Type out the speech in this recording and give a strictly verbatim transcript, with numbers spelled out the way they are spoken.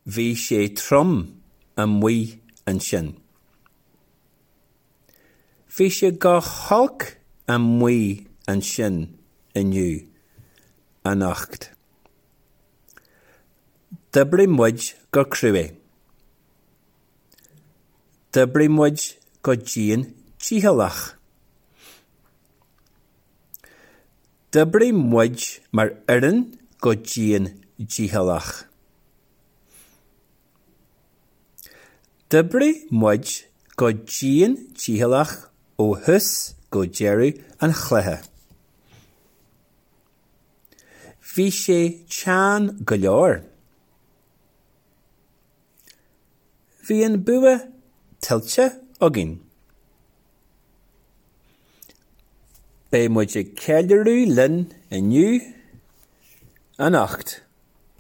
Bhí sé trom amuigh ansin. Bhí sé go holc amuigh ansin inniu, anocht. D'oibrigh muid go crua. D'oibrigh muid go dian dícheallach. D'oibrigh muid mar fhoireann go dian dícheallach. D'oibrigh muid go dian dícheallach ó thús go deireadh an chluiche. Bhí sé teann go leor. Bhí an bua tuillte againn. Beidh muid ag ceiliúradh linn inniu, anocht.